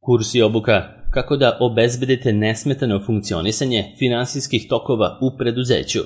Kurs i obuka kako da obezbedite nesmetano funkcionisanje finansijskih tokova u preduzeću.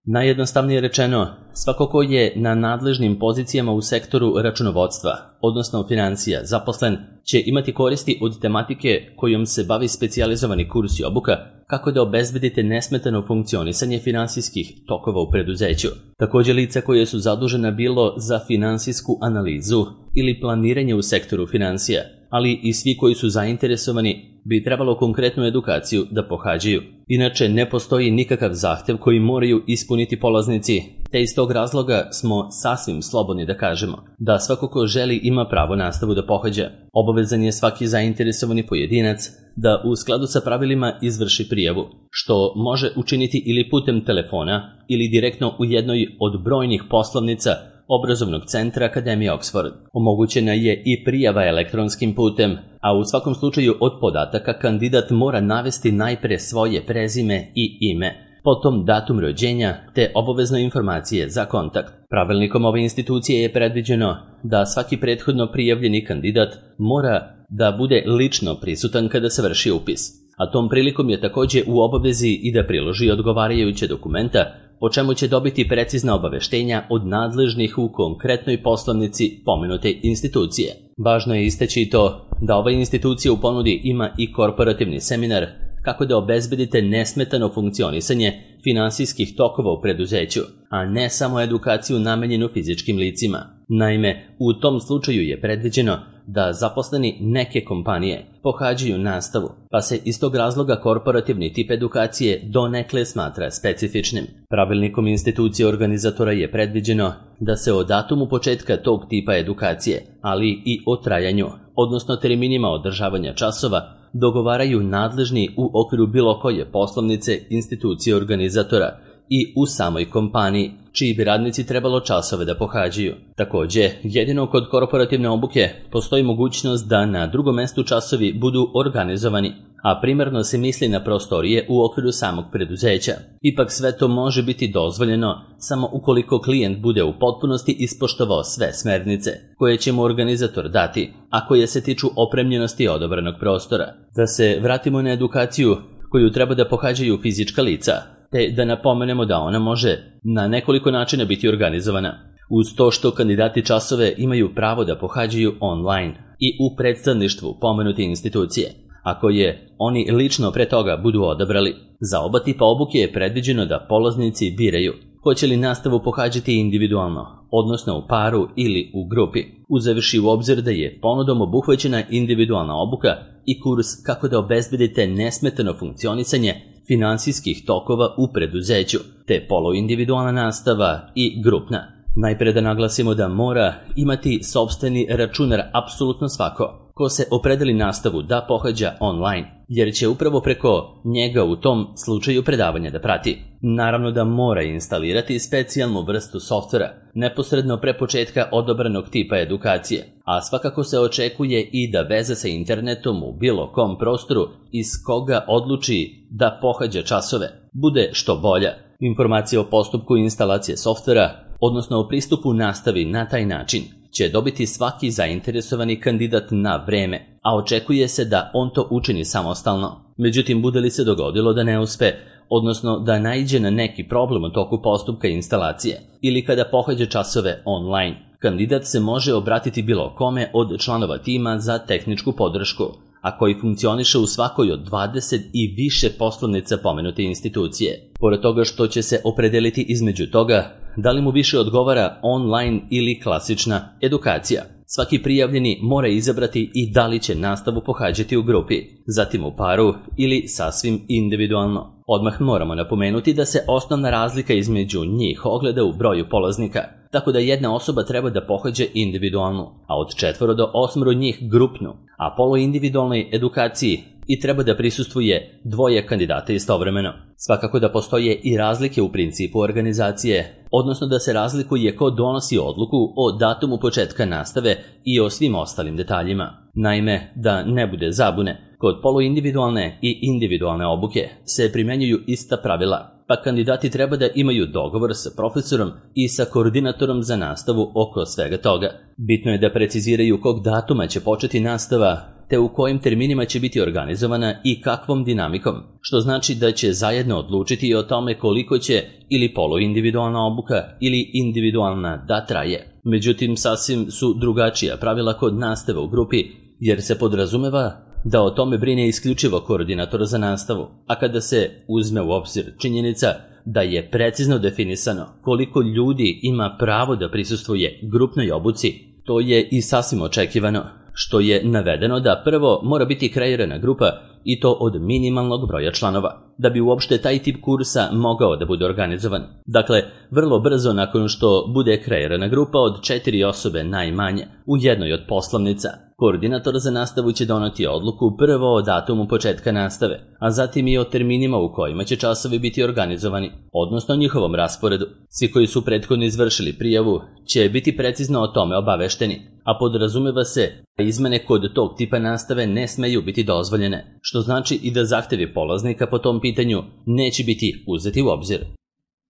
Najjednostavnije rečeno, svako ko je na nadležnim pozicijama u sektoru računovodstva, odnosno financija, zaposlen, će imati koristi od tematike kojom se bavi specijalizovani kurs i obuka kako da obezbedite nesmetano funkcionisanje finansijskih tokova u preduzeću. Također lica koje su zadužena bilo za finansijsku analizu ili planiranje u sektoru financija, ali i svi koji su zainteresovani bi trebalo konkretnu edukaciju da pohađaju. Inače, ne postoji nikakav zahtev koji moraju ispuniti polaznici, te iz tog razloga smo sasvim slobodni da kažemo da svako ko želi ima pravo nastavu da pohađa. Obavezan je svaki zainteresovani pojedinac da u skladu sa pravilima izvrši prijavu, što može učiniti ili putem telefona ili direktno u jednoj od brojnih poslovnica Obrazovnog centra Akademije Oxford. Omogućena je i prijava elektronskim putem, a u svakom slučaju od podataka kandidat mora navesti najpre svoje prezime i ime, potom datum rođenja te obavezne informacije za kontakt. Pravilnikom ove institucije je predviđeno da svaki prethodno prijavljeni kandidat mora da bude lično prisutan kada se vrši upis, a tom prilikom je također u obavezi i da priloži odgovarajuće dokumenta, po čemu će dobiti precizna obaveštenja od nadležnih u konkretnoj poslovnici pomenute institucije. Važno je istaći i to da ova institucija u ponudi ima i korporativni seminar kako da obezbedite nesmetano funkcionisanje finansijskih tokova u preduzeću, a ne samo edukaciju namenjenu fizičkim licima. Naime, u tom slučaju je predviđeno da zaposleni neke kompanije pohađaju nastavu, pa se iz tog razloga korporativni tip edukacije donekle smatra specifičnim. Pravilnikom institucije organizatora je predviđeno da se o datumu početka tog tipa edukacije, ali i o trajanju, odnosno terminima održavanja časova, dogovaraju nadležni u okviru bilo koje poslovnice institucije organizatora i u samoj kompaniji, čiji bi radnici trebalo časove da pohađaju. Također, jedino kod korporativne obuke postoji mogućnost da na drugom mestu časovi budu organizovani, a primarno se misli na prostorije u okviru samog preduzeća. Ipak sve to može biti dozvoljeno samo ukoliko klijent bude u potpunosti ispoštovao sve smernice koje će mu organizator dati, a koje se tiču opremljenosti odabranog prostora. Da se vratimo na edukaciju koju treba da pohađaju fizička lica, te da napomenemo da ona može na nekoliko načina biti organizovana. Uz to što kandidati časove imaju pravo da pohađaju online i u predstavništvu pomenute institucije, ako je oni lično pre toga budu odabrali. Za oba tipa obuke je predviđeno da polaznici biraju hoće li nastavu pohađati individualno, odnosno u paru ili u grupi, uzevši u obzir da je ponudom obuhvaćena individualna obuka i kurs kako da obezbedite nesmetano funkcionisanje finansijskih tokova u preduzeću, te poluindividualna nastava i grupna. Najpre da naglasimo da mora imati sopstveni računar apsolutno svako ko se opredeli nastavu da pohađa online, jer će upravo preko njega u tom slučaju predavanja da prati. Naravno da mora instalirati specijalnu vrstu softvera neposredno pre početka odabranog tipa edukacije, a svakako se očekuje i da veza sa internetom u bilo kom prostoru iz koga odluči da pohađa časove bude što bolja. Informacije o postupku instalacije softvera, odnosno o pristupu nastavi na taj način, će dobiti svaki zainteresovani kandidat na vreme, a očekuje se da on to učini samostalno. Međutim, bude li se dogodilo da ne uspe, odnosno da naiđe na neki problem u toku postupka instalacije ili kada pohađa časove online, kandidat se može obratiti bilo kome od članova tima za tehničku podršku, a koji funkcioniše u svakoj od 20 i više poslovnica pomenute institucije. Pored toga što će se opredeliti između toga da li mu više odgovara online ili klasična edukacija, svaki prijavljeni mora izabrati i da li će nastavu pohađati u grupi, zatim u paru ili sasvim individualno. Odmah moramo napomenuti da se osnovna razlika između njih ogleda u broju polaznika, tako da jedna osoba treba da pohađa individualnu, a od 4 do 8 njih grupnu, a poluindividualnoj edukaciji i treba da prisustvuje 2 kandidata istovremeno. Svakako da postoje i razlike u principu organizacije, odnosno da se razlikuje ko donosi odluku o datumu početka nastave i o svim ostalim detaljima. Naime, da ne bude zabune, kod poluindividualne i individualne obuke se primenjuju ista pravila, pa kandidati treba da imaju dogovor sa profesorom i sa koordinatorom za nastavu oko svega toga. Bitno je da preciziraju kog datuma će početi nastava te u kojim terminima će biti organizovana i kakvom dinamikom, što znači da će zajedno odlučiti o tome koliko će ili poluindividualna obuka ili individualna da traje. Međutim, sasvim su drugačija pravila kod nastave u grupi, jer se podrazumeva da o tome brine isključivo koordinator za nastavu, a kada se uzme u obzir činjenica da je precizno definisano koliko ljudi ima pravo da prisustvuje grupnoj obuci, to je i sasvim očekivano, što je navedeno da prvo mora biti kreirana grupa i to od minimalnog broja članova, da bi uopšte taj tip kursa mogao da bude organizovan. Dakle, vrlo brzo nakon što bude kreirana grupa od 4 osobe najmanje u jednoj od poslovnica, koordinator za nastavu će doneti odluku prvo o datumu početka nastave, a zatim i o terminima u kojima će časovi biti organizovani, odnosno njihovom rasporedu. Svi koji su prethodno izvršili prijavu će biti precizno o tome obavešteni, a podrazumeva se da izmene kod tog tipa nastave ne smeju biti dozvoljene, što znači i da zahtevi polaznika po tom pitanju neće biti uzeti u obzir.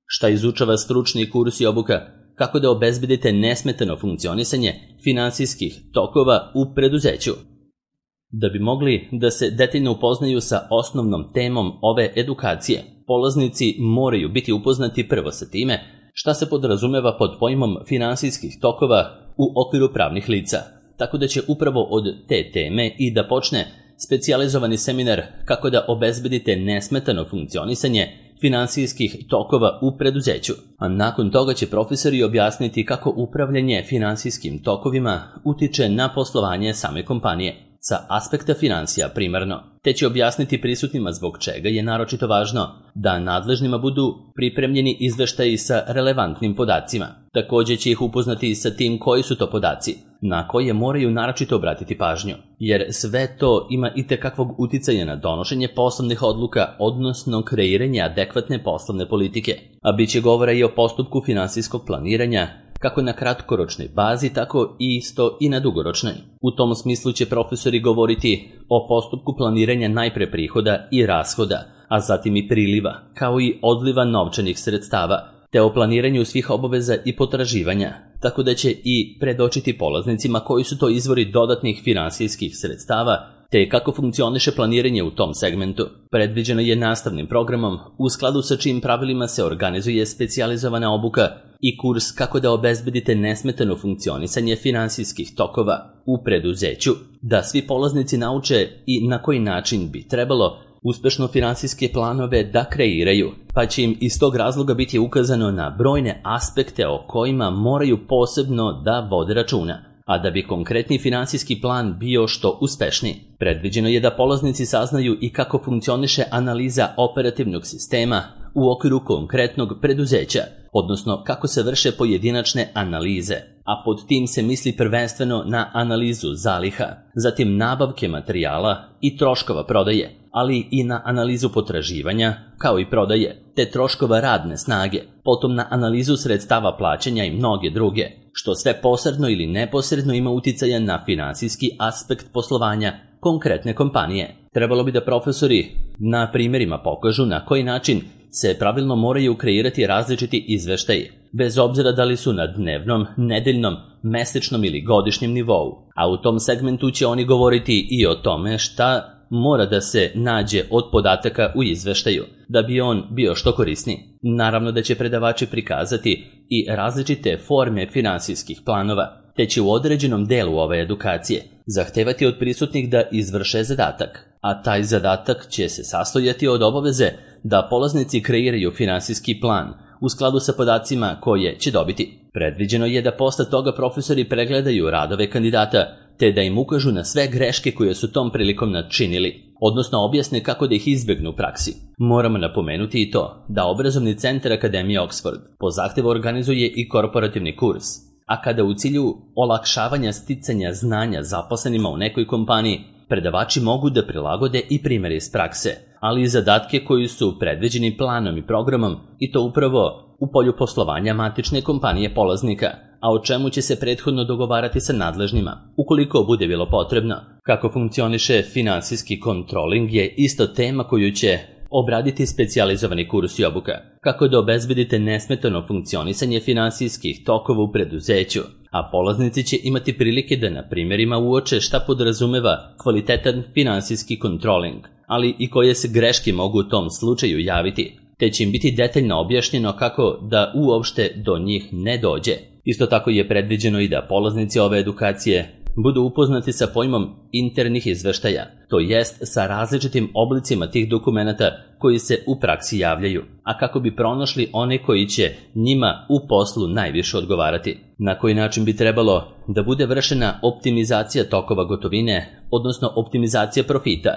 Šta izučava stručni kurs i obuka? Kako da obezbedite nesmetano funkcionisanje finansijskih tokova u preduzeću. Da bi mogli da se detaljno upoznaju sa osnovnom temom ove edukacije, polaznici moraju biti upoznati prvo sa time šta se podrazumeva pod pojmom finansijskih tokova u okviru pravnih lica, tako da će upravo od te teme i da počne specijalizovani seminar kako da obezbedite nesmetano funkcionisanje finansijskih tokova u preduzeću, a nakon toga će profesori objasniti kako upravljanje finansijskim tokovima utiče na poslovanje same kompanije sa aspekta finansija primarno, te će objasniti prisutnima zbog čega je naročito važno da nadležnima budu pripremljeni izveštaji sa relevantnim podacima. Također će ih upoznati i sa tim koji su to podaci, na koje moraju naročito obratiti pažnju, jer sve to ima itekakvog uticaja na donošenje poslovnih odluka, odnosno kreiranje adekvatne poslovne politike, a bit će govora i o postupku finansijskog planiranja, kako na kratkoročnoj bazi, tako i isto i na dugoročnoj. U tom smislu će profesori govoriti o postupku planiranja najpre prihoda i rashoda, a zatim i priliva, kao i odliva novčanih sredstava, te o planiranju svih obaveza i potraživanja, tako da će i predočiti polaznicima koji su to izvori dodatnih finansijskih sredstava, te kako funkcioniše planiranje u tom segmentu. Predviđeno je nastavnim programom, u skladu sa čijim pravilima se organizuje specijalizovana obuka i kurs kako da obezbedite nesmetano funkcionisanje finansijskih tokova u preduzeću, da svi polaznici nauče i na koji način bi trebalo uspešno finansijske planove da kreiraju, pa će im iz tog razloga biti ukazano na brojne aspekte o kojima moraju posebno da vode računa, a da bi konkretni finansijski plan bio što uspešniji. Predviđeno je da polaznici saznaju i kako funkcioniše analiza operativnog sistema u okviru konkretnog preduzeća, odnosno kako se vrše pojedinačne analize, a pod tim se misli prvenstveno na analizu zaliha, zatim nabavke materijala i troškova prodaje, ali i na analizu potraživanja, kao i prodaje, te troškova radne snage, potom na analizu sredstava plaćanja i mnoge druge, što sve posredno ili neposredno ima uticaja na finansijski aspekt poslovanja konkretne kompanije. Trebalo bi da profesori na primjerima pokažu na koji način se pravilno moraju kreirati različiti izveštaji, bez obzira da li su na dnevnom, nedeljnom, mesečnom ili godišnjem nivou. A u tom segmentu će oni govoriti i o tome šta mora da se nađe od podataka u izveštaju, da bi on bio što korisniji. Naravno da će predavači prikazati i različite forme finansijskih planova, te će u određenom delu ove edukacije zahtevati od prisutnih da izvrše zadatak, a taj zadatak će se sastojati od obaveze da polaznici kreiraju finansijski plan u skladu sa podacima koje će dobiti. Predviđeno je da posle toga profesori pregledaju radove kandidata, te da im ukažu na sve greške koje su tom prilikom načinili, odnosno objasne kako da ih izbegnu u praksi. Moramo napomenuti i to da obrazovni centar Akademije Oxford po zahtevu organizuje i korporativni kurs, a kada u cilju olakšavanja sticanja znanja zaposlenima u nekoj kompaniji, predavači mogu da prilagode i primjere iz prakse, ali i zadatke koji su predviđeni planom i programom, i to upravo u polju poslovanja matične kompanije polaznika, a o čemu će se prethodno dogovarati sa nadležnima, ukoliko bude bilo potrebno. Kako funkcioniše finansijski kontroling je isto tema koju će obraditi specijalizovani kurs i obuka. Kako da obezbedite nesmetano funkcionisanje finansijskih tokova u preduzeću, a polaznici će imati prilike da na primjerima uoče šta podrazumeva kvalitetan finansijski kontroling, ali i koje se greške mogu u tom slučaju javiti, te će im biti detaljno objašnjeno kako da uopšte do njih ne dođe. Isto tako je predviđeno i da polaznici ove edukacije budu upoznati sa pojmom internih izveštaja, to jest sa različitim oblicima tih dokumenata koji se u praksi javljaju, a kako bi pronašli one koji će njima u poslu najviše odgovarati. Na koji način bi trebalo da bude vršena optimizacija tokova gotovine, odnosno optimizacija profita,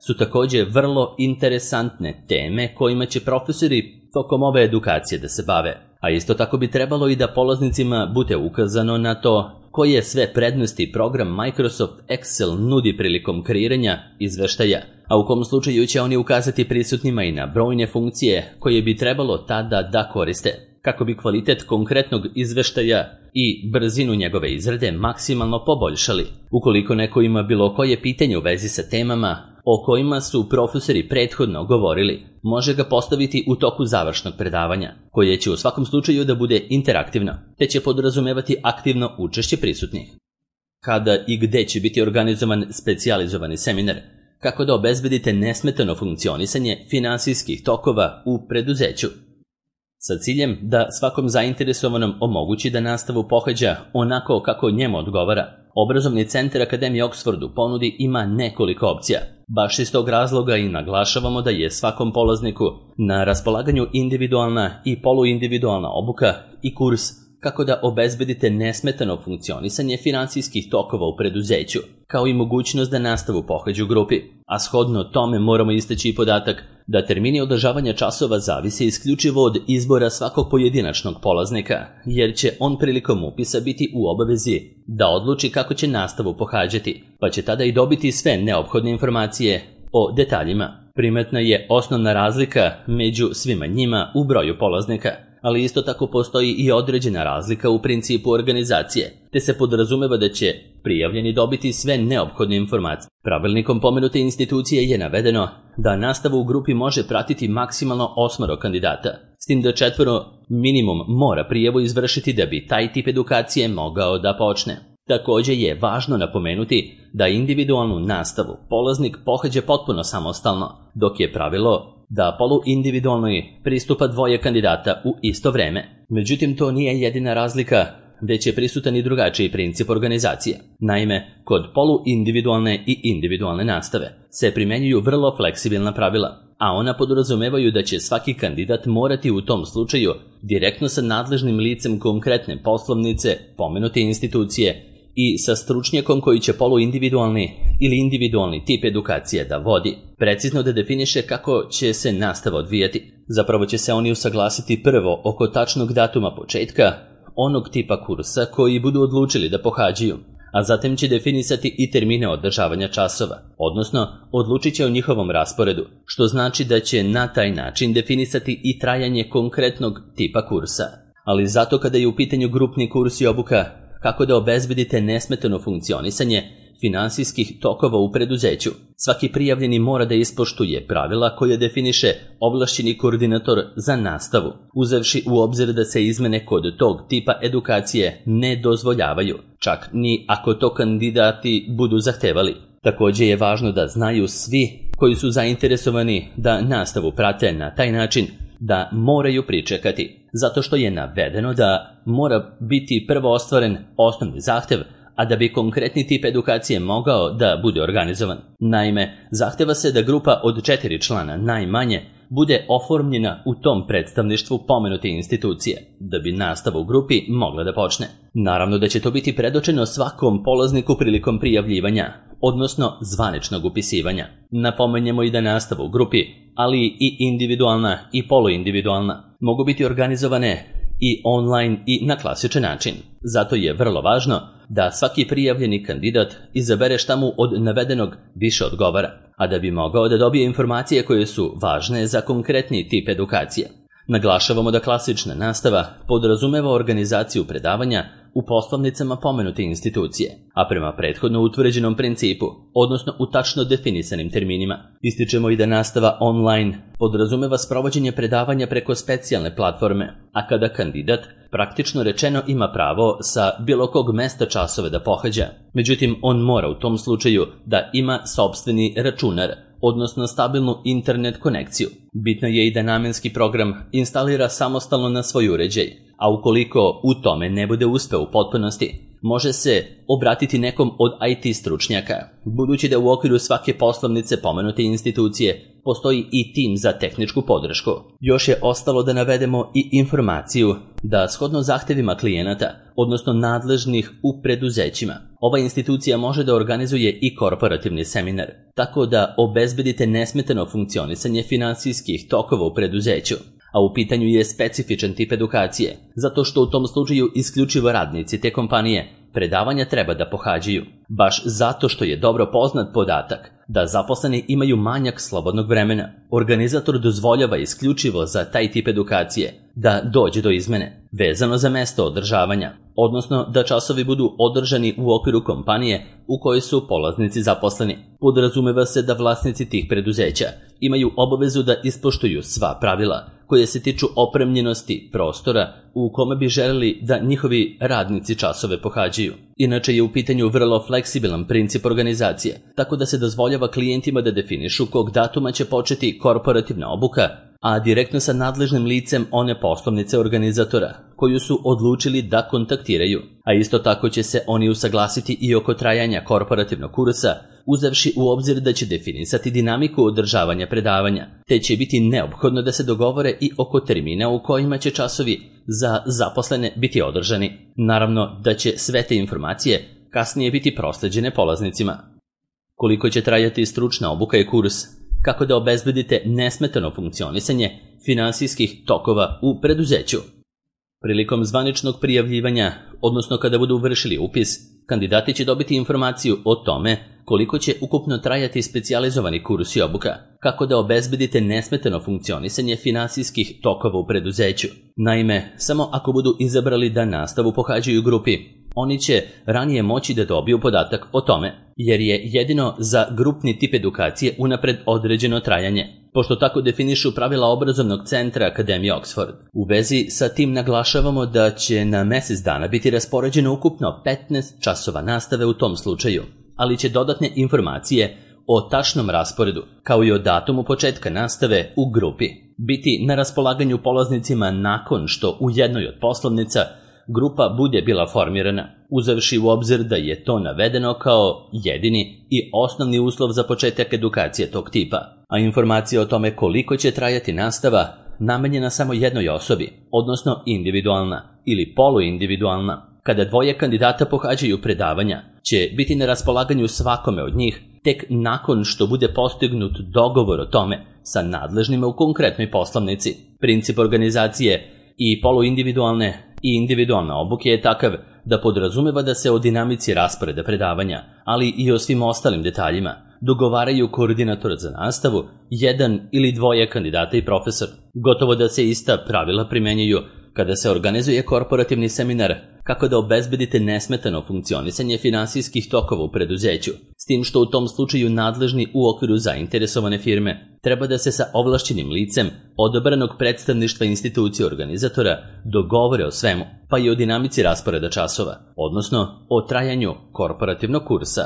su također vrlo interesantne teme kojima će profesori tokom ove edukacije da se bave. A isto tako bi trebalo i da polaznicima bude ukazano na to koje sve prednosti program Microsoft Excel nudi prilikom kreiranja izveštaja, a u kom slučaju će oni ukazati prisutnima i na brojne funkcije koje bi trebalo tada da koriste, kako bi kvalitet konkretnog izveštaja i brzinu njegove izrade maksimalno poboljšali. Ukoliko neko ima bilo koje pitanje u vezi sa temama o kojima su profesori prethodno govorili, može ga postaviti u toku završnog predavanja, koje će u svakom slučaju da bude interaktivno, te će podrazumevati aktivno učešće prisutnih. Kada i gde će biti organizovan specijalizovani seminar, kako da obezbedite nesmetano funkcionisanje finansijskih tokova u preduzeću, sa ciljem da svakom zainteresovanom omogući da nastavu pohađa onako kako njemu odgovara. Obrazovni centar Akademije Oxfordu ponudi ima nekoliko opcija. Baš iz tog razloga i naglašavamo da je svakom polazniku na raspolaganju individualna i poluindividualna obuka i kurs kako da obezbedite nesmetano funkcionisanje finansijskih tokova u preduzeću, kao i mogućnost da nastavu pohađu u grupi. A shodno tome moramo istaći i podatak da termini održavanja časova zavise isključivo od izbora svakog pojedinačnog polaznika, jer će on prilikom upisa biti u obavezi da odluči kako će nastavu pohađati, pa će tada i dobiti sve neophodne informacije o detaljima. Primetna je osnovna razlika među svima njima u broju polaznika, ali isto tako postoji i određena razlika u principu organizacije, te se podrazumeva da će prijavljeni dobiti sve neophodne informacije. Pravilnikom pomenute institucije je navedeno da nastavu u grupi može pratiti maksimalno 8 kandidata, s tim da 4 minimum mora prijavu izvršiti da bi taj tip edukacije mogao da počne. Također je važno napomenuti da individualnu nastavu polaznik pohađa potpuno samostalno, dok je pravilo da poluindividualnoj pristupa 2 kandidata u isto vreme. Međutim, to nije jedina razlika, već je prisutan i drugačiji princip organizacije. Naime, kod poluindividualne i individualne nastave se primjenjuju vrlo fleksibilna pravila, a ona podrazumevaju da će svaki kandidat morati u tom slučaju direktno sa nadležnim licem konkretne poslovnice pomenute institucije i sa stručnjakom koji će poluindividualni ili individualni tip edukacije da vodi, precizno da definiše kako će se nastava odvijati. Zapravo će se oni usaglasiti prvo oko tačnog datuma početka onog tipa kursa koji budu odlučili da pohađaju, a zatim će definisati i termine održavanja časova, odnosno odlučit će o njihovom rasporedu, što znači da će na taj način definisati i trajanje konkretnog tipa kursa. Ali zato kada je u pitanju grupni kurs i obuka kako da obezbedite nesmetano funkcionisanje finansijskih tokova u preduzeću, svaki prijavljeni mora da ispoštuje pravila koje definiše ovlašćeni koordinator za nastavu, uzevši u obzir da se izmene kod tog tipa edukacije ne dozvoljavaju, čak ni ako to kandidati budu zahtevali. Također je važno da znaju svi koji su zainteresovani da nastavu prate na taj način da moraju pričekati, zato što je navedeno da mora biti prvo ostvaren osnovni zahtev, a da bi konkretni tip edukacije mogao da bude organizovan. Naime, zahteva se da grupa od 4 člana najmanje bude oformljena u tom predstavništvu pomenute institucije, da bi nastava u grupi mogla da počne. Naravno da će to biti predočeno svakom polazniku prilikom prijavljivanja, odnosno zvaničnog upisivanja. Napomenjemo i da nastava u grupi, ali i individualna i poluindividualna, mogu biti organizovane i online i na klasičan način. Zato je vrlo važno da svaki prijavljeni kandidat izabere šta mu od navedenog više odgovara, a da bi mogao da dobije informacije koje su važne za konkretni tip edukacije. Naglašavamo da klasična nastava podrazumeva organizaciju predavanja u poslovnicama pomenute institucije, a prema prethodno utvrđenom principu, odnosno u tačno definisanim terminima. Ističemo i da nastava online podrazumeva sprovođenje predavanja preko specijalne platforme, a kada kandidat praktično rečeno ima pravo sa bilo kog mesta časove da pohađa. Međutim, on mora u tom slučaju da ima sopstveni računar, odnosno stabilnu internet konekciju. Bitno je i da namenski program instalira samostalno na svoj uređaj, a ukoliko u tome ne bude uspeo u potpunosti, može se obratiti nekom od IT stručnjaka, budući da u okviru svake poslovnice pomenute institucije postoji i tim za tehničku podršku. Još je ostalo da navedemo i informaciju da shodno zahtevima klijenata, odnosno nadležnih u preduzećima, ova institucija može da organizuje i korporativni seminar, tako da obezbedite nesmetano funkcionisanje finansijskih tokova u preduzeću. A u pitanju je specifičan tip edukacije, zato što u tom slučaju isključivo radnici te kompanije predavanja treba da pohađaju, baš zato što je dobro poznat podatak da zaposleni imaju manjak slobodnog vremena. Organizator dozvoljava isključivo za taj tip edukacije da dođe do izmene, vezano za mesto održavanja, odnosno da časovi budu održani u okviru kompanije u kojoj su polaznici zaposleni. Podrazumeva se da vlasnici tih preduzeća imaju obavezu da ispoštuju sva pravila koje se tiču opremljenosti prostora u kome bi želeli da njihovi radnici časove pohađaju. Inače je u pitanju vrlo fleksibilan princip organizacije, tako da se dozvoljava klijentima da definišu kog datuma će početi korporativna obuka, a direktno sa nadležnim licem one poslovnice organizatora koju su odlučili da kontaktiraju. A isto tako će se oni usaglasiti i oko trajanja korporativnog kursa, uzevši u obzir da će definisati dinamiku održavanja predavanja, te će biti neophodno da se dogovore i oko termina u kojima će časovi za zaposlene biti održani. Naravno da će sve te informacije kasnije biti prosleđene polaznicima. Koliko će trajati stručna obuka i kurs, kako da obezbedite nesmetano funkcionisanje finansijskih tokova u preduzeću. Prilikom zvaničnog prijavljivanja, odnosno kada budu vršili upis, kandidati će dobiti informaciju o tome koliko će ukupno trajati specijalizovani kurs i obuka, kako da obezbedite nesmetano funkcionisanje finansijskih tokova u preduzeću. Naime, samo ako budu izabrali da nastavu pohađaju u grupi, oni će ranije moći da dobiju podatak o tome, jer je jedino za grupni tip edukacije unapred određeno trajanje, pošto tako definišu pravila obrazovnog centra Akademije Oxford. U vezi sa tim naglašavamo da će na mesec dana biti raspoređeno ukupno 15 časova nastave u tom slučaju, ali će dodatne informacije o tačnom rasporedu, kao i o datumu početka nastave u grupi, biti na raspolaganju polaznicima nakon što u jednoj od poslovnica grupa bude bila formirana, uzevši u obzir da je to navedeno kao jedini i osnovni uslov za početak edukacije tog tipa, a informacija o tome koliko će trajati nastava namenjena samo jednoj osobi, odnosno individualna ili poluindividualna. Kada dvoje kandidata pohađaju predavanja, će biti na raspolaganju svakome od njih tek nakon što bude postignut dogovor o tome sa nadležnima u konkretnoj poslovnici. Princip organizacije i poluindividualne i individualne obuke je takav da podrazumeva da se o dinamici rasporeda predavanja, ali i o svim ostalim detaljima, dogovaraju koordinator za nastavu, jedan ili dvoje kandidata i profesor. Gotovo da se ista pravila primenjuju kada se organizuje korporativni seminar, kako da obezbedite nesmetano funkcionisanje finansijskih tokova u preduzeću, s tim što u tom slučaju nadležni u okviru zainteresovane firme treba da se sa ovlašćenim licem odabranog predstavništva institucije organizatora dogovore o svemu, pa i o dinamici rasporeda časova, odnosno o trajanju korporativnog kursa.